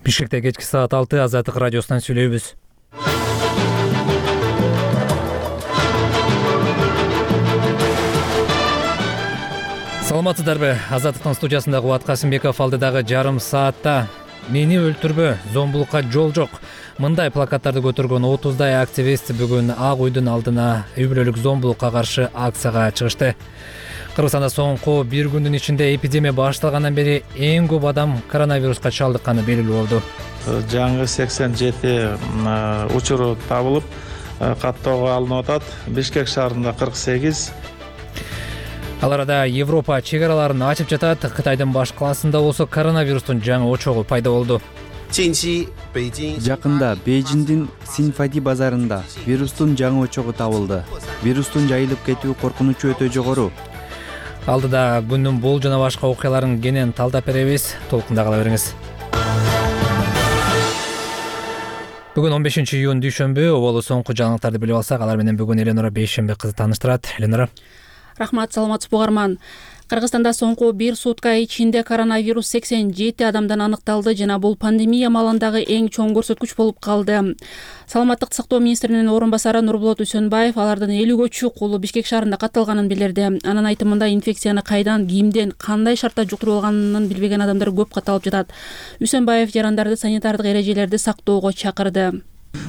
Бишкекте кечки саат 6 Азаттык радиосунан сүйлөйбүз. Саламатсыздарбы? Азаттыктын студиясында Кубат Касымбеков алдыдагы жарым саатта "Мени өлтүрбө, зомбулукка жол жок" мындай плакаттарды көтөргөн 30дай активист бүгүн Ак үйдүн алдына үй бүлөлүк зомбулукка каршы акцияга чыгышты. Кыргызстанда соңку бир күндүн ичинде эпидемия башталгандан бери эң көп адам коронавируска чалдыкканы белгилүү болду. Жаңы 87 учуру табылып, каттоого алынып атат. Бишкек шаарында 48. Ал арада Европа чек араларын ачып жатат. Кытайдын баш калаасында болсо коронавирустун жаңы очогу пайда болду. Жакында Бейжиңдин Синфади базарында вирустун жаңы очогу табылды. Вирустун жайылып кетүү коркунучу өтө жогору. Алдыда күндүн бул жана башка окуяларын кенен талдап беребиз. Толкунда кала бериңиз. Бүгүн 15 июнь дүйшөмбү. Оболу соңку жаңылыктарды билип алсак, алар менен бүгүн Эленора Бейшембек кызы тааныштырат. Эленора. Рахмат, саламатсызбы угарман. Кыргызстанда соңку бир сутка ичинде коронавирус 87 адамдан аныкталды жана бул пандемия маалындагы эң чоң көрсөткүч болуп калды. Саламаттыкты сактоо министринин орун басары Нурболот Үсөнбаев алардын 50гө чук улуу Бишкек шаарында катталганын билдирди. Анын айтымында инфекцияны кайдан, кимден, кандай шартта жуктуруп алганын билбеген адамдар көп катталып жатат. Үсөнбаев жарандарды санитардык эрежелерди сактоого чакырды.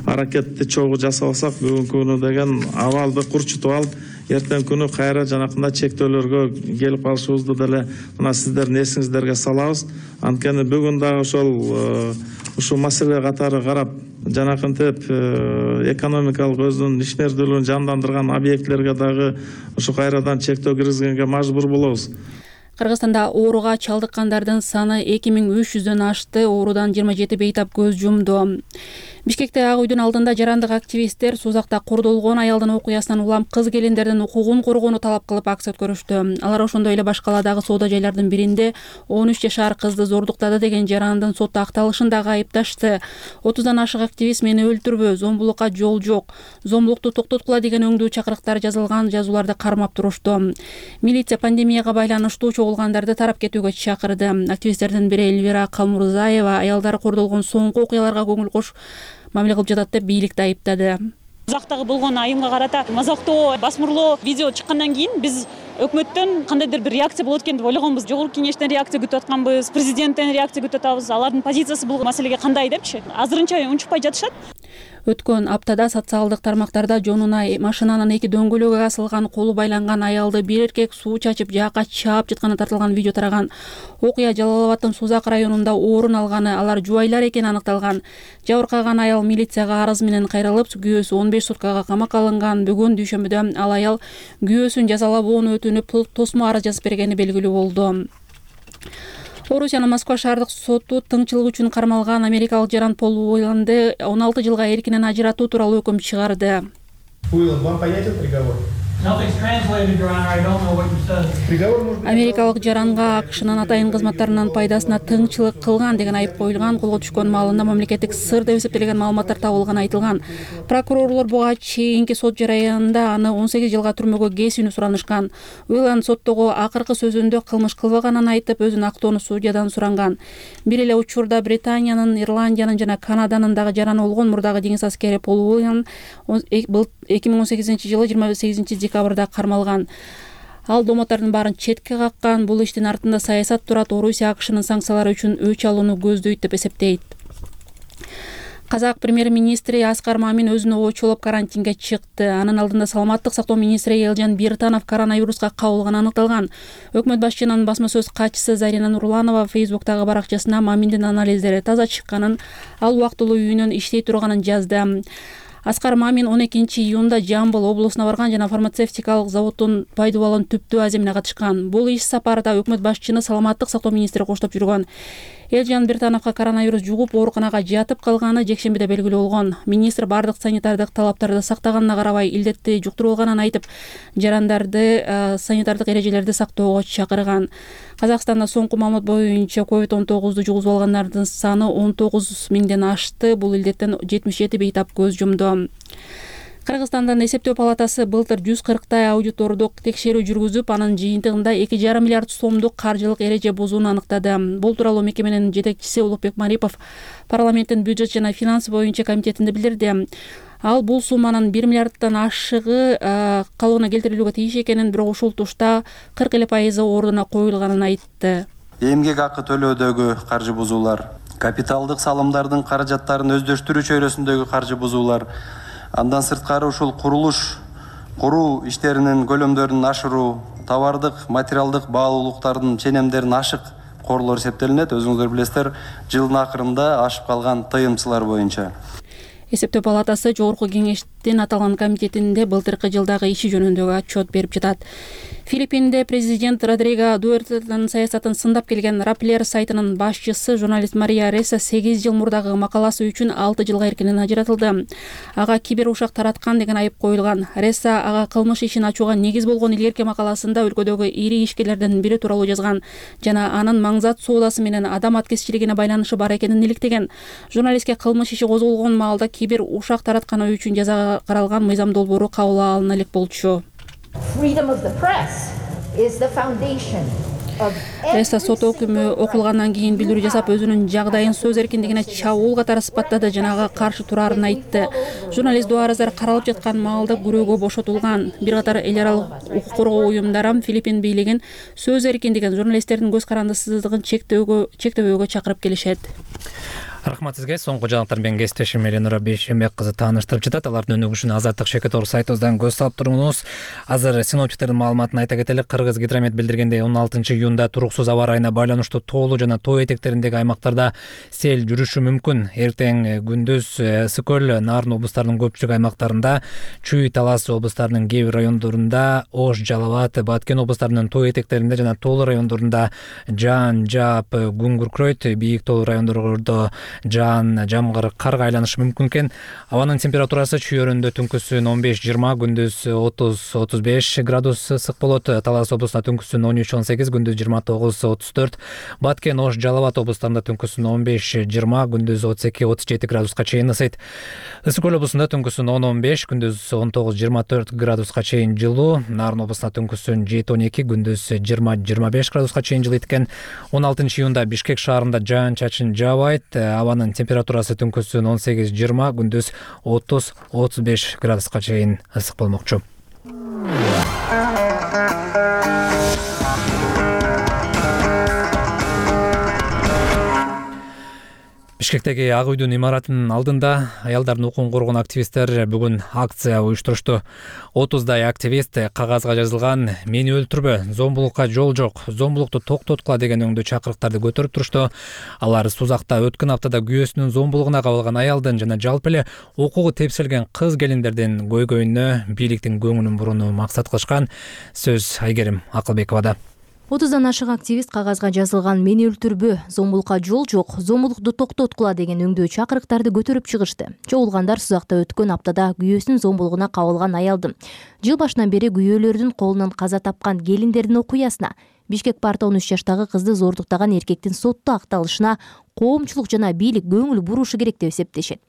Аракетти чогуу жасабасак, бүгүнкү күнү деген абалды курчутуп алып, эртең күнү кайра жанакындай чектөөлөргө келип калышыбызды деле мына сиздердин эсиңиздерге салабыз. Анткени бүгүн дагы ушул маселе катары карап, жанакынтип экономикалык өзүнүн ишмердүүлүгүн жандандырган объектлерге дагы ушу кайрадан чектөө киргизгенге мажбур болобуз. Кыргызстанда ооруга чалдыккандардын саны 2300дөн ашты, оорудан 27 бейтап көз жумду. Бишкекте Ак үйдүн алдында жарандык активисттер сузакта кордолгон аялдын окуясынан улам кыз келиндердин укугун коргоону талап кылып акция өткөрүштү. Алар ошондой эле башка каладагы соода жайлардын биринде 13 жашар кызды зордуктады деген жарандын сотто акталышын дагы айыпташты. 30дан ашык активист "Мени өлтүрбө, зомбулукка жол жок, зомбулукту токтоткула" деген өңдүү чакырыктар жазылган жазууларды кармап турушту. Милиция пандемияга байланыштуу чогулгандарды тарап кетүүгө чакырды. Активисттердин бири Эльвира Калмурзаева аялдар кордолгон соңку окуяларга көңүл кош мамиле кылып жатат деп бийликти айыптады. Узактагы болгон айымга карата мазактоо, басмырлоо видео чыккандан кийин биз өкмөттөн кандайдыр бир реакция болот экен деп ойлогонбуз. Жогорку кеңештен реакция күтүп атканбыз, президенттен реакция күтүп атабыз. Алардын позициясы бул маселеге кандай депчи? Азырынча унчукпай жатышат. Өткөн аптада социалдык тармактарда жонуна машинанын эки дөңгөлөгү асылган, колу байланган аялды бир эркек суу чачып жаакка чаап жатканы тартылган видео тараган. Окуя Жалал Абадтын Сузак районунда орун алганы, алар жубайлар экени аныкталган. Жабыркаган аял милицияга арыз менен кайрылып, күйөөсү 15 суткага камакка алынган. Бүгүн дүйшөмбүдө ал аял күйөөсүн жазалабоону өтүнүп, тосмо арыз жазып бергени белгилүү болду. Орусиянын Москва шаардык соту тыңчылык үчүн кармалган америкалык жаран Пол Уилланды 16 жылга эркинен ажыратуу тууралуу өкүм чыгарды. Уиллан, вам понятен приговор? Америкалык жаранга АКШнын атайын кызматтарынын пайдасына тыңчылык кылган деген айып коюлган. Колго түшкөн маалында мамлекеттик сыр деп эсептелген маалыматтар табылганы айтылган. Прокурорлор буга чейинки сот жараянында аны 18 жылга түрмөгө кесүүнү суранышкан. Уиллан соттогу акыркы сөзүндө кылмыш кылбаганын айтып, өзүн актоону судьядан суранган. Бир эле учурда Британиянын, Ирландиянын жана Канаданын дагы жараны болгон мурдагы деңиз аскери Пол Уиллан 2018 жылы 28 декабрда кармалган. Ал домотордун баарын четке каккан. Бул иштин артында саясат турат. Орусия АКШнын санкциялары үчүн өч алууну көздөйт деп эсептейт. Казак премьер-министри Аскар Мамин өзүнө ойчолоп карантинге чыкты. Анын алдында саламаттык сактоо министри Элжан Биртанов коронавируска кабылганы аныкталган. Өкмөт башчынын басма сөз катчысы Зарина Нурланова Фейсбуктагы баракчасына Маминдин анализдери таза чыкканын, ал убактылуу үйүнөн иштей турганын жазды. Аскар Мамин 12 июнда Жамбыл облусуна барган жана фармацевтикалык заводдун пайдубалын түптөө аземине катышкан. Бул иш сапарда өкмөт башчыны саламаттык сактоо министри коштоп жүргөн. Элжан Биртановго коронавирус жугуп ооруканага жатып калганы жекшембиде белгилүү болгон. Министр бардык санитардык талаптарды сактаганына карабай илдетти жуктурулганын айтып, жарандарды санитардык эрежелерди сактоого чакырган. Казакстанда соңку маалымат боюнча COVID-19 жугузуп алгандардын саны 19 миңден ашты. Бул илдеттен 77 бейтап көз жумду. Кыргызстандын эсептөө палатасы былтыр 140 аудитордук текшерүү жүргүзүп, анын жыйынтыгында 2,5 миллиард сомдук каржылык эреже бузууну аныктады. Бул тууралуу мекеменин жетекчиси Улукбек Марипов парламенттин бюджет жана финанс боюнча комитетинде билдирди. Ал бул сумманын 1 миллиарддан ашыгы калыбына келтирилүүгө тийиш экенин, бирок ушул тушта 40% ордуна коюлганын айтты. Эмгек акы төлөөдөгү каржы бузуулар, капиталдык салымдардын каражаттарын өздөштүрүү чөйрөсүндөгү каржы бузуулар, андан сырткары ушул куруу иштеринин көлөмдөрүн ашыруу, товардык, материалдык баалуулуктардын ченемдерин ашык корлор эсептелинет. Өзүңүздөр билесиздер, жылдын акырында ашып калган тыйымчылар боюнча. Эсептөө палатасы жогорку кеңештин аталган комитетинде былтыркы жылдагы иши жөнүндөгү отчет берип жатат. Филиппинде президент Родриго Дуэртенин саясатын сындап келген Rappler сайтынын башчысы журналист Мария Реса 8 жыл мурдагы макаласы үчүн 6 жылга эркинен ажыратылды. Ага кибер ушак тараткан деген айып коюлган. Реса ага кылмыш ишин ачууга негиз болгон илгерки макаласында өлкөдөгү ири ишкерлердин бири тууралуу жазган жана анын маңзат соодасы менен адам аткезчилигине байланышы бар экенин иликтеген. Журналистке кылмыш иши козголгон маалда кибер ушак таратканы үчүн жазага каралган мыйзам долбоору кабыл алына элек болчу. Реса сот өкүмү окулгандан кийин билдирүү жасап, өзүнүн жагдайын сөз эркиндигине чабуул катары сыпаттады жана ага каршы турарын айтты. Журналист Дуаразар каралып жаткан маалда күрөөгө бошотулган. Бир катар эл аралык укук коргоо уюмдары Филиппин бийлигин сөз эркиндигин, журналисттердин көз карандысыздыгын чектөөгө чакырып келишет. Рахмат сизге. Соңку жаңалыктар менен кесиптешим Эленора Бейшембек кызы тааныштырып жатат. Алардын өнүгүшүнө Азаттык Шекетор сайтыбыздан көз салып туруңуз. Азыр синоптиктердин маалыматын айта кетелик. Кыргызгидромет билдиргендей 16-июнда туруксуз аба ырайына байланыштуу тоолуу жана тоо этектериндеги аймактарда сел жүрүшү мүмкүн. Эртең күндүз ысык көл, Нарын облустарынын көпчүлүк аймактарында, Чүй, Талас облустарынын кээ бир райондорунда, Ош, Жалал абад, Баткен облустарынын тоо этектеринде жана тоолуу райондорунда жаан жаап, күн күркүрөйт. Бийик тоолуу райондордо жаан, жамгыр, карга айланышы мүмкүн экен. Абанын температурасы чүйөрүндө түнкүсүн 15-20, күндүз 30-35 градус ысык болот. Талас облусунда түнкүсүн 13-18, күндүз 29-34. Баткен, Ош, Жалал абад облустарында түнкүсүн 15-20, күндүз 32-37 градуска чейин ысыйт. Ысык көл облусунда түнкүсүн 10-15, күндүз 19-24 градуска чейин жылуу. Нарын облусунда түнкүсүн 7-12, күндүз 20-25 градуска чейин жылыйт экен. 16-июнда Бишкек шаарында жаан-чачын жаабайт. Абанын температурасы түнкүсүн 18-20, күндүз 30-35 градуска чейин ысык болмокчу. Бишкектеги Ак үйдүн имаратынын алдында аялдардын укугун коргоон активисттер бүгүн акция уюштурушту. 30дай активист кагазга жазылган "Мени өлтүрбө, зомбулукка жол жок, зомбулукту токтоткула" деген өңдүү чакырыктарды көтөрүп турушту. Алар Сузакта өткөн аптада күйөөсүнүн зомбулугуна кабылган аялдын жана жалпы эле укугу тепселген кыз келиндердин көйгөйүнө бийликтин көңүлүн бурууну максат кылышкан. Сөз Айгерим Акылбековада. 30дан ашык активист кагазга жазылган "Мени өлтүрбө, зомбулукка жол жок, зомбулукту токтоткула" деген өңдүү чакырыктарды көтөрүп чыгышты. Чогулгандар Сузакта өткөн аптада күйөөсүнүн зомбулугуна кабылган аялдын жыл башынан бери күйөөлөрдүн колунан каза тапкан келиндердин окуясына, Бишкек парта 13 жаштагы кызды зордуктаган эркектин сотто акталышына коомчулук жана бийлик көңүл бурушу керек деп эсептешет.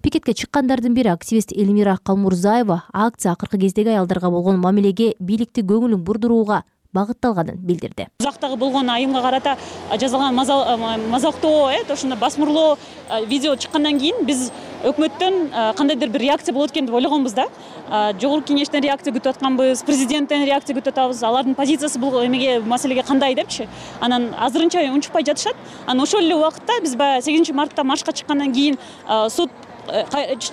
Пикетке чыккандардын бири активист Элмира Калмурзаева акция акыркы кездеги аялдарга болгон мамилеге бийликти көңүлүн бурдурууга багытталганын билдирди. Узактагы болгон айымга карата жазылган мазактоо, ошондо басмырлоо видео чыккандан кийин биз өкмөттөн кандайдыр бир реакция болот экен деп ойлогонбуз да. Жогорку кеңештен реакция күтүп атканбыз, президенттен реакция күтүп атабыз. Алардын позициясы бул эмеге, маселеге кандай депчи. Анан азырынча унчукпай жатышат. Анан ошол эле убакытта биз баягы 8 мартта маршка чыккандан кийин суд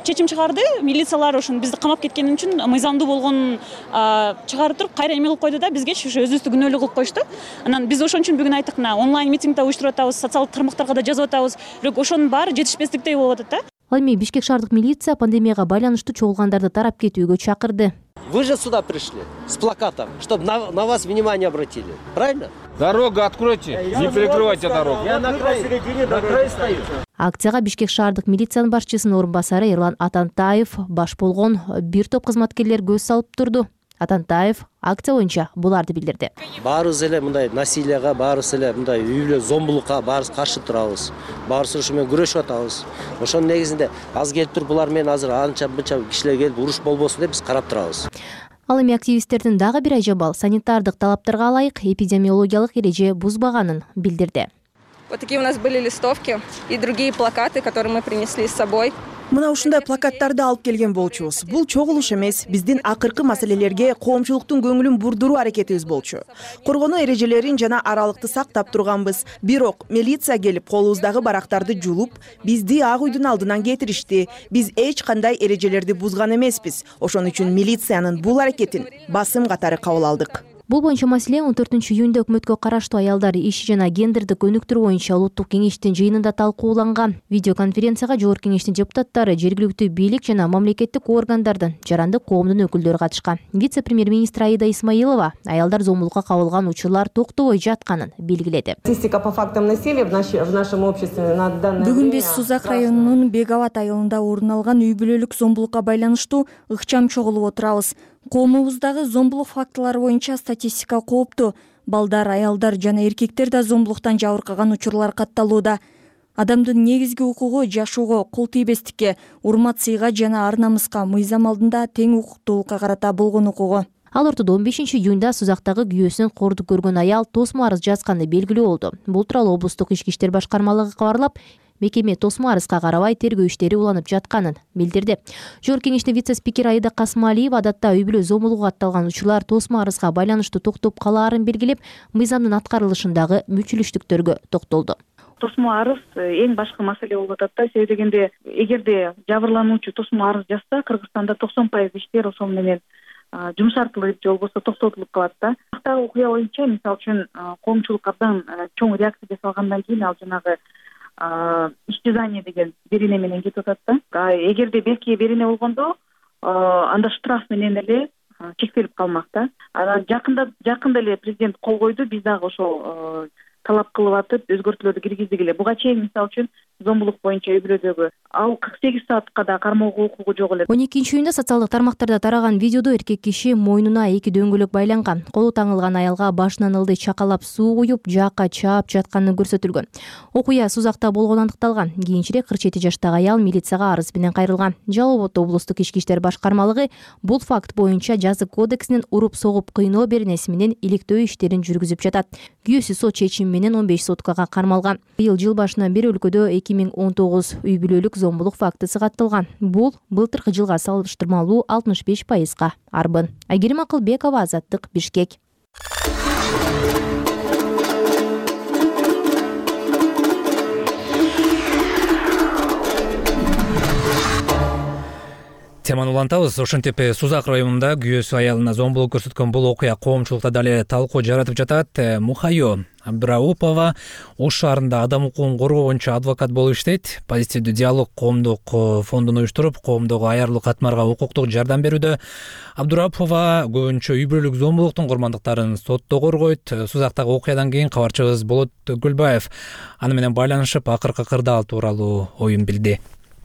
чечим чыгарды. Милициялар ошону бизди камап кеткени үчүн мыйзамдуу болгонун чыгарып туруп кайра эме кылып койду да, бизге ошо өзүбүздү күнөөлүү кылып коюшту. Анан биз ошон үчүн бүгүн айттык, онлайн митингде уюштуруп атабыз, социалдык тармактарга да жазып атабыз. Бирок ошонун баары жетишпестиктей болуп атат да. Ал эми Бишкек шаардык милиция пандемияга байланыштуу чогулгандарды тарап кетүүгө чакырды. Вы же сюда пришли с плакатом, чтобы на вас внимание обратили. Правильно? Дорогу откройте, не перекрывайте дорогу. Я на край стою. Акцияга Бишкек шаардык милициянын башчысынын орун басары Эрлан Атантаев баш болгон бир топ кызматкерлер көз салып турду. Атантаев акция боюнча буларды билдирди. Баарыбыз эле мындай насилияга, баарыбыз эле мындай үй бүлө зомбулукка баарыбыз каршы турабыз. Баарыбыз ушу менен күрөшүп атабыз. Ошонун негизинде аз келип туруп булар менен азыр анча-мынча кишилер келип уруш болбосун деп биз карап турабыз. Ал эми активисттердин дагы бир ажабал санитардык талаптарга ылайык эпидемиологиялык эреже бузбаганын билдирди. Вот такие у нас были листовки и другие плакаты, которые мы принесли с собой. Мына ушундай плакаттарды алып келген болчубуз. Бул чогулуш эмес, биздин акыркы маселелерге коомчулуктун көңүлүн бурдуруу аракетибиз болчу. Коргонуу эрежелерин жана аралыкты сактап турганбыз. Бирок милиция келип колубуздагы барактарды жулуп, бизди Ак үйдүн алдынан кетиришти. Биз эч кандай эрежелерди бузган эмеспиз. Ошон үчүн милициянын бул аракетин басым катары кабыл алдык. Бул боюнча маселе 14-июнда өкмөткө караштуу аялдар иши жана гендердик өнүктүрүү боюнча улуттук кеңештин жыйынында талкууланган. Видеоконференцияга жогорку кеңештин депутаттары, жергиликтүү бийлик жана мамлекеттик органдардын, жарандык коомдун өкүлдөрү катышкан. Вице-премьер-министр Аида Исмаилова аялдар зомбулукка кабылган учурлар токтобой жатканын белгиледи. Статистика по фактам насилия в нашем обществе на данное время. Бүгүн биз Сузак районунун Бегават айылында орун алган үй бүлөлүк зомбулукка байланыштуу ыкчам чогулуп отурабыз. Коомубуздагы зомбулук фактылары боюнча статистика кооптуу. Балдар, аялдар жана эркектер да зомбулуктан жабыркаган учурлар катталууда. Адамдын негизги укугу жашоого, кул тийбестикке, урмат-сыйга жана ар-намыска, мыйзам алдында тең укуктуулукка карата болгон укугу. Ал ортодо 15-июнда Сузактагы күйөөсүн кордук көргөн аял тосмо арыз жазганы белгилүү болду. Бул тууралуу облустук ички иштер башкармалыгы кабарлап, мекеме тосмо арызга карабай тергөө иштери уланып жатканын билдирди. Жогорку кеңештин вице-спикери Аида Касмалиева адатта үй бүлө зомбулугу катталган учурлар тосмо арызга байланыштуу токтоп калаарын белгилеп, мыйзамдын аткарылышындагы мүчүлүштүктөргө токтолду. Тосмо арыз эң башкы маселе болуп атат да. Себеби дегенде, эгерде жабырлануучу тосмо арыз жазса, Кыргызстанда 90% иштер ошол менен жумшартылып же болбосо токтотулуп калат да. Бактагы окуя боюнча, мисалы үчүн, коомчулук абдан чоң реакция жасалгандан кийин ал жанагы исчезание деген берене менен кетип атат да. Эгерде белки берене болгондо, анда штраф менен эле чектелип калмак да. Анан жакында эле президент кол койду, биз дагы ошол талап кылып атып, өзгөртүүлөрдү киргиздик эле. Буга чейин мисалы үчүн зомбулук боюнча үй бүлөдөгү ал 48 саатка да кармоого укугу жок эле. 12-июнда социалдык тармактарда тараган видеодо эркек киши мойнуна 2 дөңгөлөк байланган, колу таңылган аялга башынан ылдый чакалап суу куюп, жаакка чаап жатканы көрсөтүлгөн. Окуя Сузакта болгону аныкталган. Кийинчерээк 47 жаштагы аял милицияга арыз менен кайрылган. Жалал Абад облустук ички иштер башкармалыгы бул факт боюнча жазык кодексинин уруп-согуп кыйноо беренеси менен иликтөө иштерин жүргүзүп жатат. Күйөөсү сот чечими менен 15 суткага кармалган. Быйыл жыл башынан бери өлкөдө 2019 үй бүлөлүк зомбулук фактысы катталган. Бул былтыркы жылга салыштырмалуу 65%га арбын. Айгерим Акылбекова, Азаттык, Бишкек. Теманы улантабыз. Ошентип Сузак районунда күйөөсү аялына зомбулук көрсөткөн бул окуя коомчулукта дале талкуу жаратып жатат. Мухайо Абдраупова Ош шаарында адам укугун коргоо боюнча адвокат болуп иштейт. Позитивдүү диалог коомдук фондун уюштуруп, коомдогу аярлуу катмарга укуктук жардам берүүдө. Абдраупова көбүнчө үй бүлөлүк зомбулуктун курмандыктарын сотто коргойт. Сузактагы окуядан кийин кабарчыбыз Болот Гүлбаев аны менен байланышып, акыркы кырдаал тууралуу оюн билди.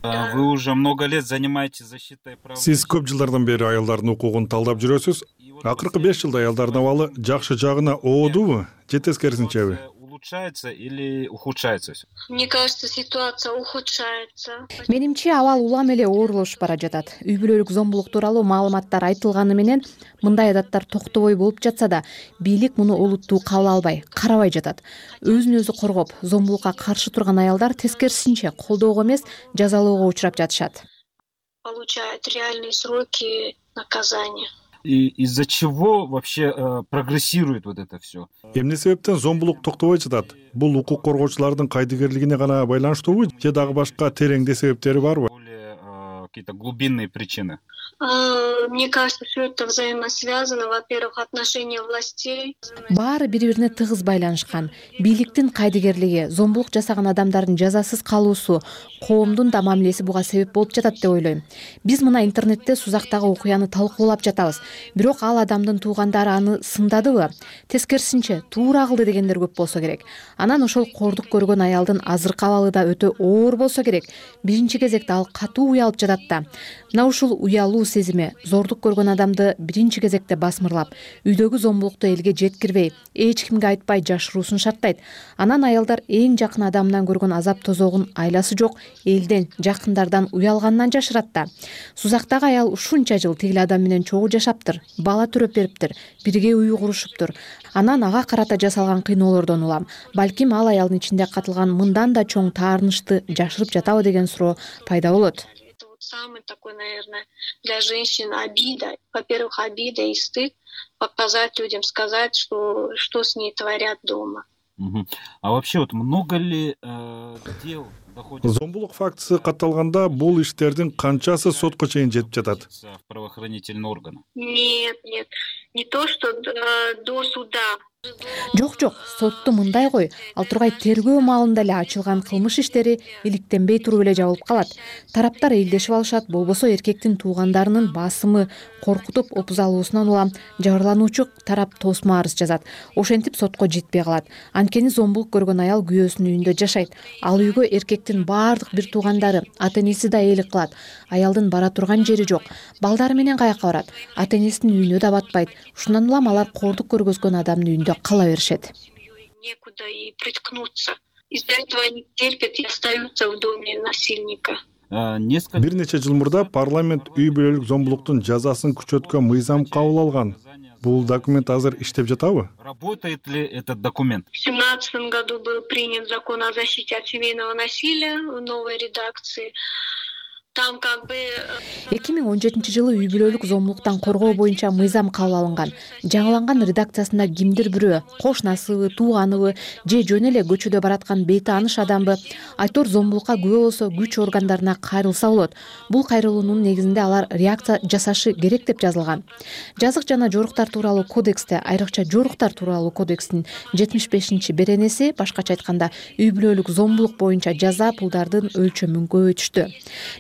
Вы уже много лет занимаетесь защитой прав. Сиз көп жылдардан бери аялдардын укугун талдап жүрөсүз. Акыркы 5 жылда аялдардын абалы жакшы жагына оодубу, же тескерисинчеби? Улучшается или ухудшается? Мне кажется, ситуация ухудшается. Менимче абал улам эле оорлошуп бара жатат. Үй бүлөлүк зомбулук тууралуу маалыматтар айтылганы менен мындай адаттар токтобой болуп жатса да, бийлик муну олуттуу кабыл албай, карабай жатат. Өзүн өзү коргоп, зомбулукка каршы турган аялдар тескерисинче колдоого эмес, жазалоого учурап жатышат. Получают реальные сроки наказания. И из-за чего вообще прогрессирует вот это все? Эмне себептен зомбулук токтобой жатат? Бул укук коргоочулардын кайдыгерлигине гана байланыштуубу, же дагы башка тереңде себептери барбы? Какие-то глубинные причины? Мне кажется, все это взаимосвязано. Во-первых, отношения властей. Баары бири-бирине тыгыз байланышкан. Бийликтин кайдыгерлиги, зомбулук жасаган адамдардын жазасыз калуусу, коомдун да мамилеси буга себеп болуп жатат деп ойлойм. Биз мына интернетте Сузактагы окуяны талкуулап жатабыз. Бирок ал адамдын туугандары аны сындадыбы? Тескерисинче, туура кылды дегендер көп болсо керек. Анан ошол кордук көргөн аялдын азыркы абалы да өтө оор болсо керек. Биринчи кезекте ал катуу уялып жатат да. Мына ушул уялуу сезими зордук көргөн адамды биринчи кезекте басмырлап, үйдөгү зомбулукту элге жеткирбей, эч кимге айтпай жашыруусун шарттайт. Анан аялдар эң жакын адамынан көргөн азап тозогун айласы жок элден, жакындардан уялганынан жашырат да. Сузактагы аял ушунча жыл тигил адам менен чогуу жашаптыр, бала төрөп бериптир, бирге үй курушуптур. Анан ага карата жасалган кыйноолордон улам. Балким ал аялдын ичинде катылган мындан да чоң таарынычты жашырып жатабы деген суроо пайда болот. Самый такой, наверное, для женщин обида. Во-первых, обида и стыд показать людям, сказать, что с ней творят дома. А вообще вот много ли дел доходит... Зомбулук фактысы катталганда бул иштердин канчасы сотко чейин жетип жатат? В правоохранительные органы? Нет, не то, что до суда. Жок, сотту мындай кой, ал тургай тергөө маалында эле ачылган кылмыш иштери иликтенбей туруп эле жабылып калат. Тараптар элдешип алышат, болбосо эркектин туугандарынын басымы, коркутуп опуз алуусунан улам жабырлануучу тарап тосмо арыз жазат. Ошентип сотко жетпей калат. Анткени зомбулук көргөн аял күйөөсүнүн үйүндө жашайт. Ал үйгө эркектин баардык бир туугандары, ата-энеси да ээлик кылат. Аялдын бара турган жери жок. Балдары менен каяка барат? Ата-энесинин үйүнө да батпайт. Ушундан улам алар кордук көргөзгөн адамдын үйүндө кала беришет. Некуда и приткнуться. Из-за этого они терпят и остаются в доме насильника. Бир нече жыл мурда парламент үй бүлөлүк зомбулуктун жазасын күчөткөн мыйзам кабыл алган. Бул документ азыр иштеп жатабы? Работает ли этот документ? В 2017 году был принят закон о защите от семейного насилия в новой редакции. Там как бы 2017 үй бүлөлүк зомбулуктан коргоо боюнча мыйзам кабыл алынган. Жаңыланган редакциясында кимдир бирөө, кошунасыбы, тууганыбы же жөн эле көчөдө бараткан бейтааныш адамбы айтор зомбулукка күбө болсо күч органдарына кайрылса болот. Бул кайрылуунун негизинде алар реакция жасашы керек деп жазылган. Жазык жана жоруктар тууралуу кодексте, айрыкча жоруктар тууралуу кодекстин 75-беренеси, башкача айтканда, үй бүлөлүк зомбулук боюнча жаза пулдардын өлчөмүн көбөйтүштү.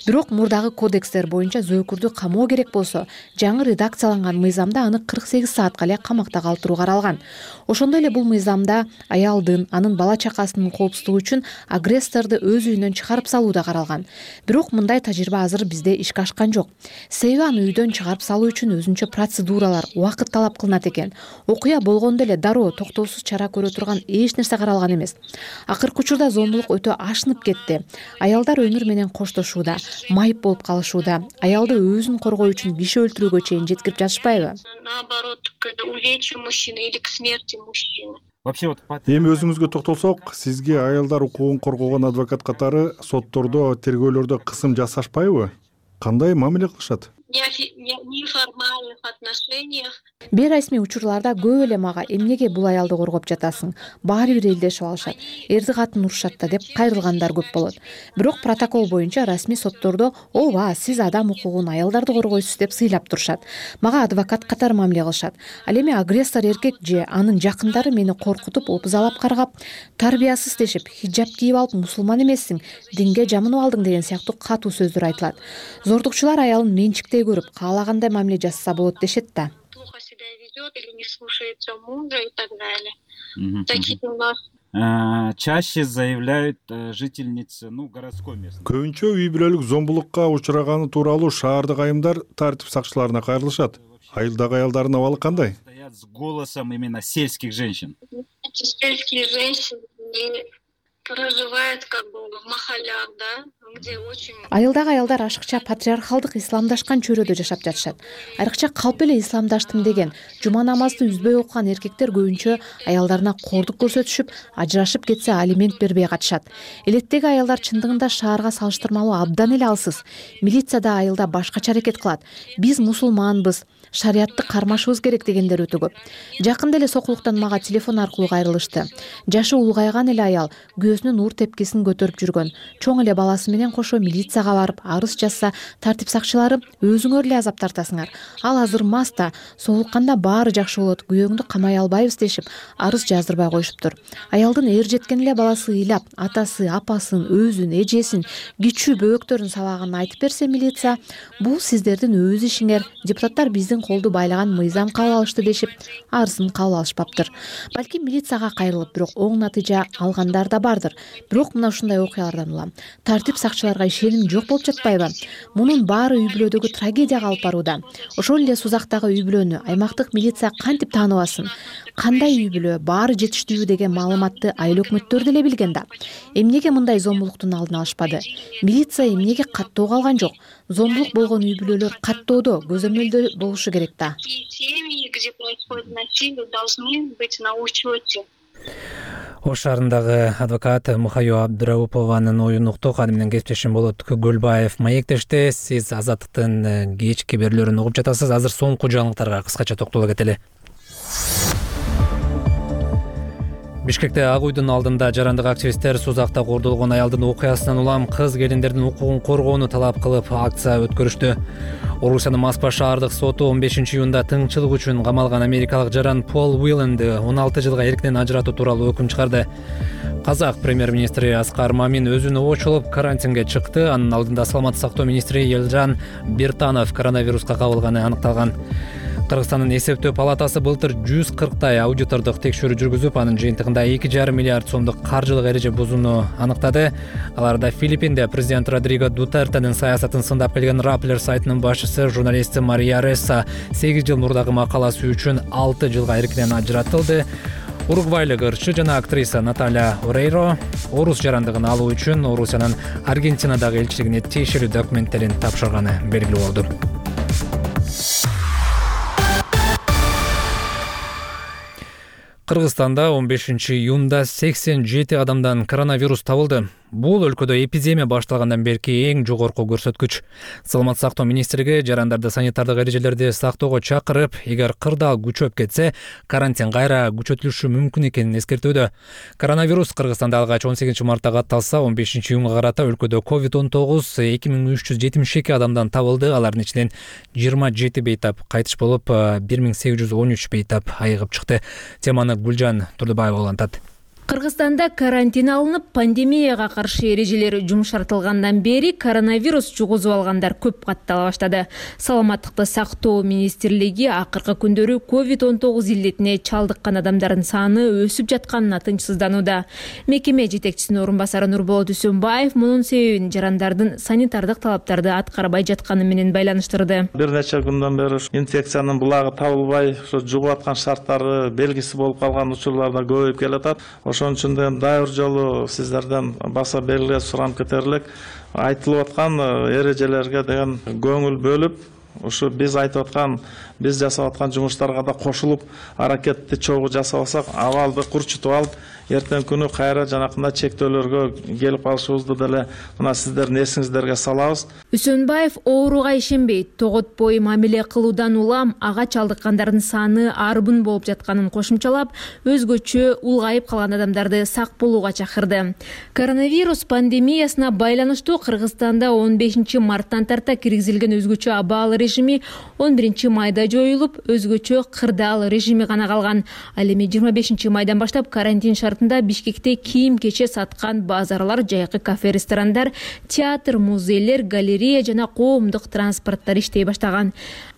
Бирок мурдагы кодекстер боюнча зөөкүрдү камоо керек болсо, жаңы редакцияланган мыйзамда аны 48 саатка эле камакта калтыруу каралган. Ошондой эле бул мыйзамда аялдын, анын бала чакасынын коопсуздугу үчүн агрессорду өз үйүнөн чыгарып салуу да каралган. Бирок мындай тажрыйба азыр бизде ишке ашкан жок. Себеби аны үйдөн чыгарып салуу үчүн өзүнчө процедуралар, убакыт талап кылынат экен. Окуя болгондо эле дароо токтоосуз чара көрө турган эч нерсе каралган эмес. Акыркы учурда зомбулук өтө ашынып кетти. Аялдар өмүр менен коштошууда, майып болуп калышууда, аялды өзүн коргоо үчүн киши өлтүрүүгө чейин жеткирип жатышпайбы? Наоборот, к увечью мужчины или к смерти мужчины. Эми өзүңүзгө токтолсок, сизге аялдар укугун коргогон адвокат катары соттордо, тергөөлөрдө кысым жасашпайбы? Кандай мамиле кылышат? В неформальных отношениях. Бейрасмий учурларда көп эле мага эмнеге бул аялды коргоп жатасың? Баары бир элдешип алышат. Эрди катын урушат да деп кайрылгандар көп болот. Бирок протокол боюнча расмий соттордо ооба, сиз адам укугун, аялдарды коргойсуз деп сыйлап турушат. Мага адвокат катары мамиле кылышат. Ал эми агрессор эркек же анын жакындары мени коркутуп, опузалап каргап, тарбиясыз дешип, хиджаб кийип алып мусулман эмессиң, динге жамынып алдың деген сыяктуу катуу сөздөр айтылат. Зордукчулар аялын менчиктей көрүп, каалагандай мамиле жасаса болот дешет да. Плохо себя ведет или не слушается мужа и так далее. Такие у нас. Чаще заявляют жительницы, городской местности. Көбүнчө үй бүлөлүк зомбулукка учураганы тууралуу шаардык айымдар тартип сакчыларына кайрылышат. Айылдагы аялдардын абалы кандай? Стоят с голосом именно сельских женщин. Сельские женщины проживают как бы в махалях, да, где очень... Айылдагы аялдар ашыкча патриархалдык исламдашкан чөйрөдө жашап жатышат. Айрыкча калп эле исламдаштым деген, жума намазды үзбөй окуган эркектер көбүнчө аялдарына кордук көрсөтүшүп, ажырашып кетсе алимент бербей катышат. Элеттеги аялдар чындыгында шаарга салыштырмалуу абдан эле алсыз. Милиция да айылда башкача аракет кылат. Биз мусулманбыз, шариятты кармашыбыз керек дегендер өтө көп. Жакында эле сокулуктан мага телефон аркылуу кайрылышты. Жашы улгайган эле аял күйөөсүнүн ур тепкисин көтөрүп жүргөн. Чоң эле баласы менен кошо милицияга барып арыз жазса, тартип сакчылары өзүңөр эле азап тартасыңар. Ал азыр маста, соолукканда баары жакшы болот, күйөөңдү камай албайбыз дешип, арыз жаздырбай коюшуптур. Аялдын эр жеткен эле баласы ыйлап, атасы, апасын, өзүн, эжесин, кичүү бөбөктөрүн сабаганын айтып берсе милиция, бул сиздердин өз ишиңер, депутаттар биздин колду байлаган мыйзам кабыл алышты дешип, арызын кабыл алышпаптыр. Балким милицияга кайрылып, бирок оң натыйжа алгандар да бар жатыр. Бирок мына ушундай окуялардан улам тартип сакчыларга ишеним жок болуп жатпайбы? Мунун баары үй бүлөдөгү трагедияга алып барууда. Ошол эле Сузактагы үй бүлөнү аймактык милиция кантип тааныбасын? Кандай үй бүлө, баары жетиштүүбү деген маалыматты айыл өкмөттөр деле билген да. Эмнеге мындай зомбулуктун алдын алышпады? Милиция эмнеге каттоого алган жок? Зомбулук болгон үй бүлөлөр каттоодо, көзөмөлдө болушу керек да. Семьи, где происходит насилие, должны быть на учете. Ош шаарындагы адвокат Мухаю Абдыраупованын оюн уктук. Аны менен кесиптешим Болот Көлбаев маектеште. Сиз Азаттыктын кечки берүүлөрүн угуп жатасыз. Азыр соңку жаңылыктарга кыскача токтоло кетели. Бишкекте Ак уйдун алдында жарандык активисттер Сузакта кордолгон аялдын окуясынан улам кыз келиндердин укугун коргоону талап кылып акция өткөрүштү. Орусиянын Москва шаардык соту 15 июнда тыңчылык үчүн камалган америкалык жаран Пол Уилленди 16 жылга эркинен ажыратуу тууралуу өкүм чыгарды. Казак премьер-министри Аскар Мамин өзүн обочулуп карантинге чыкты. Анын алдында саламаттык сактоо министри Елжан Биртанов коронавируска кабылганы аныкталган. Кыргызстандын эсептөө палатасы былтыр 140 аудитордук текшерүү жүргүзүп, анын жыйынтыгында 2,5 миллиард сомдук каржылык эреже бузууну аныктады. Аларда Филиппинде президент Родриго Дутертенин саясатын сындап келген Rappler сайтынын башчысы журналисти Мария Ресса 8 жыл мурдагы макаласы үчүн 6 жылга эркинен ажыратылды. Уругвайлык ырчы жана актриса Наталья Орейро орус жарандыгын алуу үчүн Орусиянын Аргентинадагы элчилигине тиешелүү документтерин тапшырганы белгилүү болду. Кыргызстанда 15 июнда 87 адамдан коронавирус табылды. Бул өлкөдө эпидемия башталгандан берки эң жогорку көрсөткүч. Саламаттык сактоо министрлиги жарандарды санитардык эрежелерди сактоого чакырып, эгер кырдаал күчөп кетсе, карантин кайра күчөтүлүшү мүмкүн экенин эскертүүдө. Коронавирус Кыргызстанда алгач 18 мартта катталса, 15 июнга карата өлкөдө COVID-19 2372 адамдан табылды. Алардын ичинен 27 бейтап кайтыш болуп, 1813 бейтап айыгып чыкты. Теманы Гүлжан Турдубаева улантат. Кыргызстанда карантин алынып, пандемияга каршы эрежелер жумшартылгандан бери коронавирус жугузуп алгандар көп каттала баштады. Саламаттыкты сактоо министрлиги акыркы күндөрү COVID-19 илдетине чалдыккан адамдардын саны өсүп жатканына тынчсызданууда. Мекеме жетекчисинин орун басары Нурболот Үсөнбаев мунун себебин жарандардын санитардык талаптарды аткарбай жатканы менен байланыштырды. Бир нече күндөн бери инфекциянын булагы табылбай, жугуп аткан шарттары белгиси болуп калган учурларда көбөйүп келатат. Ошон үчүн да дайыр жолу сиздерден баса белгилеп сурам кетерлик, айтылып аткан эрежелерге деген көңүл бөлүп, ушу биз айтып аткан, биз жасап аткан жумуштарга да кошулуп, аракетти чогуу жасабасак, абалды курчутуп алып, эртең күнү кайра жанакындай чектөөлөргө келип калышыбызды деле мына сиздердин эсиңиздерге салабыз. Үсөнбаев ооруга ишенбейт, тоготпой мамиле кылуудан улам ага чалдыккандардын саны арбын болуп жатканын кошумчалап, өзгөчө улгайып калган адамдарды сак болууга чакырды. Коронавирус пандемиясына байланыштуу Кыргызстанда 15 марттан тарта киргизилген өзгөчө абал режими 11 майда жоюлуп, өзгөчө кырдаал режими гана калган. Ал эми 25 майдан баштап карантин шартында Бишкекте кийим-кече саткан базарлар, жайкы кафе, ресторандар, театр, музейлер, галерея жана коомдук транспорттар иштей баштаган.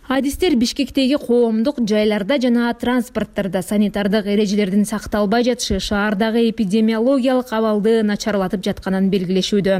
Адистер Бишкектеги коомдук жайларда жана транспорттарда санитардык эрежелердин сакталбай жатышы шаардагы эпидемиологиялык абалды начарлатып жатканын белгилешүүдө.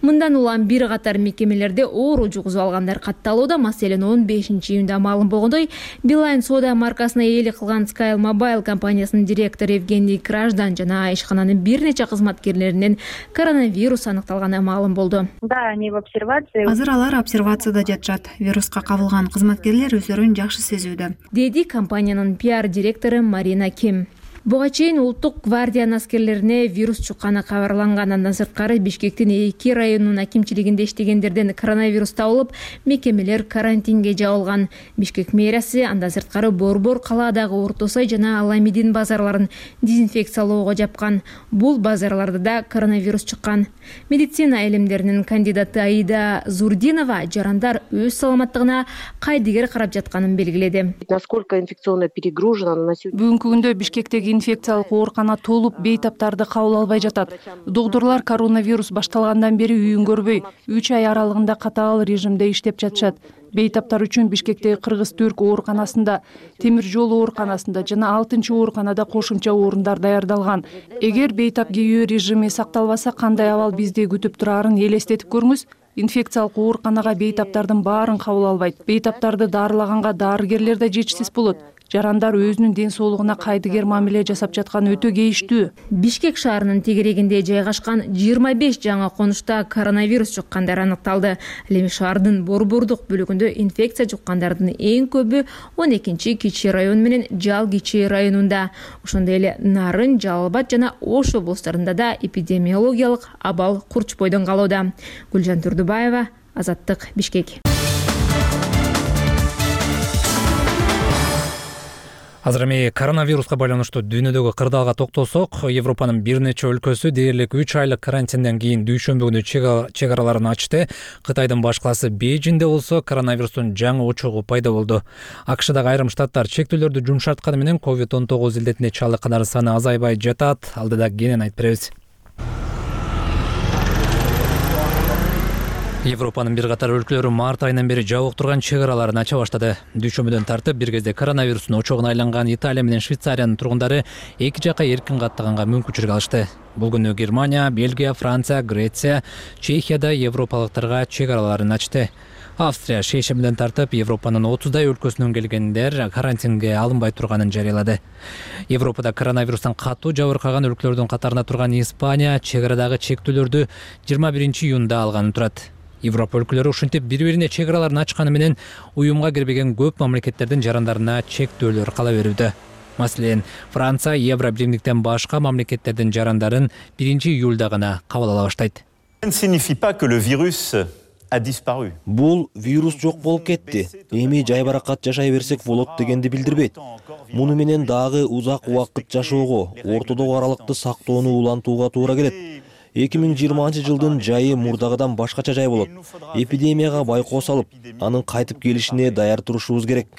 Мындан улам бир катар мекемелерде оору жугузуп алгандар катталууда. Маселен 15 июнда маалым болгондой, Билайн соода маркасына ээлик кылган Sky Mobile компаниясынын директору Евгений Краждан жана ишкананын бир нече кызматкерлеринен коронавирус аныкталганы маалым болду. Да, они в обсервации. Азыр алар обсервацияда жатышат. Вируска кабылган кызматкерлер өздөрүн жакшы сезүүдө, деди компаниянын пиар директору Марина Ким. Буга чейин Улуттук гвардиянын аскерлерине вирус чукканы кабарланган. Андан сырткары Бишкектин 2 районунун акимчилигинде иштегендерден коронавирус табылып, мекемелер карантинге жабылган. Бишкек мэриясы андан сырткары Борбор калаадагы Орто Сай жана Аламидин базарларын дезинфекциялоого жапкан. Бул базарларда да коронавирус чыккан. Медицина илимдеринин кандидаты Аида Зурдинова жарандар өз саламаттыгына кайдыгер карап жатканын белгиледи. Насколько инфекционно перегружена на сегодня? Бүгүнкү күндө Бишкектеги инфекциялык оорукана толуп бейтаптарды кабыл албай жатат. Доктурлар коронавирус башталгандан бери үйүн көрбөй 3 ай аралыгында катаал режимде иштеп жатышат. Бейтаптар үчүн Бишкектеги Кыргыз-Түрк ооруканасында, Темир жол ооруканасында жана 6-ооруканада кошумча орундар даярдалган. Эгер бейтап кийүү режими сакталбаса, кандай абал бизди күтүп турарын элестетип көрүңүз. Инфекциялык ооруканага бейтаптардын баарын кабыл албайт. Бейтаптарды дарылаганга дарыгерлер да жетишсиз болот. Жарандар өзүнүн ден соолугуна кайдыгер мамиле жасап жаткан өтө кейиштүү. Бишкек шаарынын тегерегинде жайгашкан 25 жаңы конушта коронавирус жуккандар аныкталды. Ал эми шаардын борбордук бөлүгүндө инфекция жуккандардын эң көбү 12 Кичи район менен Жал Кичи районунда. Ошондой эле Нарын, Жалал Абад жана Ош облустарында да эпидемиологиялык абал курчпойдон калууда. Гүлжан Турдубаева, Азаттык, Бишкек. Азыр эми коронавируска байланыштуу дүйнөдөгү кырдаалга токтолсок, Европанын бир нече өлкөсү дээрлик 3 айлык карантинден кийин дүйшөмбү күнү чек араларын ачты. Кытайдын баш калаасы Бейжиңде болсо коронавирустун жаңы очогу пайда болду. АКШдагы айрым штаттар чектөөлөрдү жумшартканы менен COVID-19 илдетине чалдыккандар саны азайбай жатат. Алдыда кенен айтып беребиз. Европанын бир катар өлкөлөрү март айынан бери жабык турган чек араларын ача баштады. Дүйшөмбүдөн тартып бир кезде коронавирустун очогуна айланган Италия менен Швейцариянын тургундары эки жакка эркин каттаганга мүмкүнчүлүк алышты. Бул күнү Германия, Бельгия, Франция, Греция, Чехияда европалыктарга чек араларын ачты. Австрия шейшембиден тартып Европанын 30дай өлкөсүнөн келгендер карантинге алынбай турганын жарыялады. Европада коронавирустан катуу жабыркаган өлкөлөрдүн катарында турган Испания чек арадагы чектөөлөрдү 21 июнда алганын турат. Европа өлкөлөрү ушинтип бири-бирине чек араларын ачканы менен уюмга кирбеген көп мамлекеттердин жарандарына чектөөлөр кала берүүдө. Маселен, Франция Евро биримдиктен башка мамлекеттердин жарандарын 1 июлда гана кабыл ала баштайт. Бул вирус жок болуп кетти. Эми жайбаракат жашай берсек болот дегенди билдирбейт. Муну менен дагы узак убакыт жашоого, ортодогу аралыкты сактоону улантууга туура келет. 2020 жайы мурдагыдан башкача жай болот. Эпидемияга байкоо салып, анын кайтып келишине даяр турушубуз керек.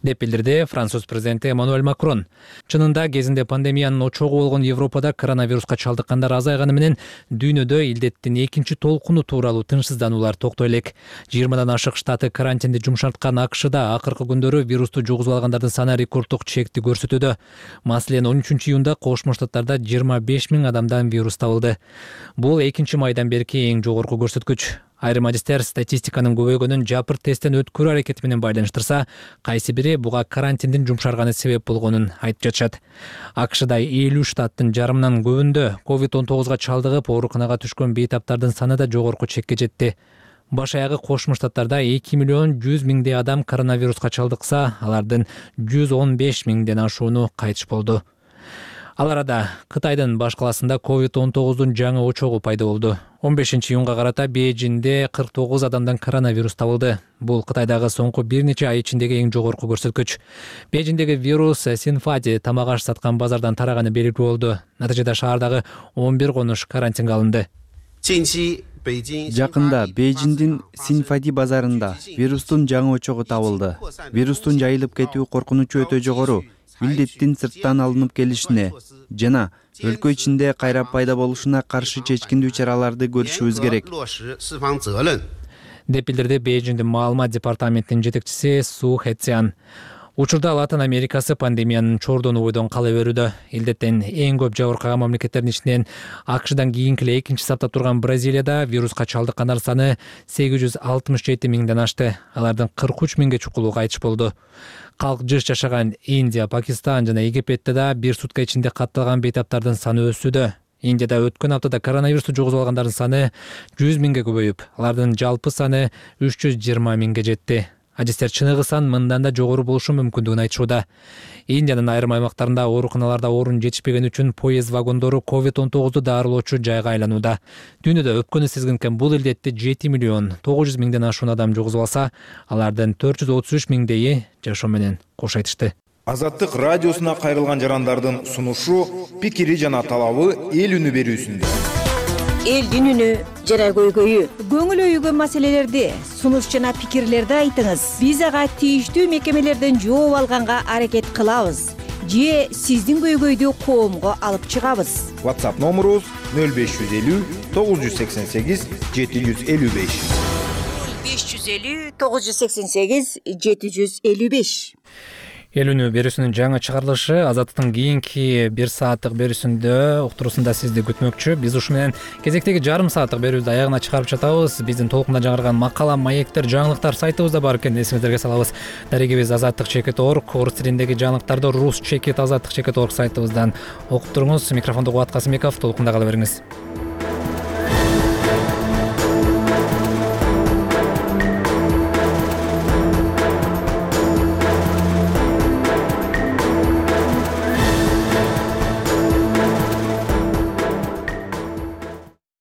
Деп билдирди Француз президенти Эммануэль Макрон. Чынында кезинде пандемиянын очогу болгон Европада коронавируска чалдыккандар азайганы менен дүйнөдө илдеттин экинчи толкуну тууралуу тынчсыздануулар токтой элек. 20дан ашык штаты карантинди жумшарткан АКШда акыркы күндөрү вирусту жугузуп алгандардын саны рекорддук чекти көрсөтүүдө. Маселен, 13 июнда Кошмо Штаттарда 25 000 адамдан вирус табылды. Бул 2 майдан берки эң жогорку көрсөткүч. Айрым адистер статистиканын көбөйгөнүн жапыр тесттен өткөрүү аракети менен байланыштырса, кайсы бири буга карантиндин жумшарганы себеп болгонун айтып жатышат. АКШда 50 штаттын жарымынан көбүндө COVID-19 чалдыгып ооруканага түшкөн бейтаптардын саны да жогорку чекке жетти. Баш аягы Кошмо Штаттарда 2 миллион 100 миңдей адам коронавируска чалдыкса, алардын 115 миңден ашууну кайтыш болду. Ал арада Кытайдын баш калаасында COVID-19 жаңы очогу пайда болду. 15 июнга карата Бейжиңде 49 адамдан коронавирус табылды. Бул Кытайдагы соңку бир нече ай ичиндеги эң жогорку көрсөткүч. Бейжиңдеги вирус Синфади тамак аш саткан базардан тараганы белгилүү болду. Натыйжада шаардагы 11 конуш карантинге алынды. Жакында Бейжиңдин Синфади базарында вирустун жаңы очогу табылды. Вирустун жайылып кетүү коркунучу өтө жогору. Илдеттин сырттан алынып келишине жана өлкө ичинде кайра пайда болушуна каршы чечкиндүү чараларды көрүшүбүз керек. Деп билдирди Бейжиңдин маалымат департаментинин жетекчиси Су Хэцян. Учурда Латын Америкасы пандемиянын чордону бойдон кала берүүдө. Илдеттен эң көп жабыркаган мамлекеттердин ичинен АКШдан кийинки эле экинчи сапта турган Бразилияда вируска чалдыккандар саны 867 миңден ашты. Алардын 43 миңге чукулу кайтыш болду. Калк жыш жашаган Индия, Пакистан жана Египетте да бир сутка ичинде катталган бейтаптардын саны өсүүдө. Индияда өткөн аптада коронавирусту жугузуп алгандардын саны 100 миңге көбөйүп, алардын жалпы саны 320 миңге жетти. Адистер чыныгы сан мындан да жогору болушу мүмкүндүгүн айтышууда. Индиянын айрым аймактарында ооруканаларда орун жетишпеген үчүн поезд вагондору COVID-19 дарылоочу жайга айланууда. Дүйнөдө өпкөнү сезгенкен бул илдетти 7 миллион 900 миңден ашуун адам жугузуп алса, алардын 433 миңдейи жашоо менен кош айтышты. Азаттык радиосуна кайрылган жарандардын сунушу, пикири жана талабы эл үнү берүүсүндө. элдин үнү жана көйгөйү. Көңүл өйгөн маселелерди, сунуш жана пикирлерди айтыңыз. Биз ага тийиштүү мекемелерден жооп алганга аракет кылабыз. Же сиздин көйгөйдү коомго алып чыгабыз. WhatsApp номерубуз 0550 988 755. 550 988 755. Эл үнү берүүсүнүн жаңы чыгарылышы Азаттыктын кийинки 1 сааттык берүүсүндө уктуруусунда сизди күтмөкчү. Биз ушу менен кезектеги жарым сааттык берүүбүздү аягына чыгарып жатабыз. Биздин толкунда жаңырган макала, маектер, жаңылыктар сайтыбызда бар экенин эсиңиздерге салабыз. Дарегибиз azаттык.org, орус тилиндеги жаңылыктарды rus.azаттык.org сайтыбыздан окуп туруңуз. Микрофонду Кубат Касымбеков, толкунда кала бериңиз.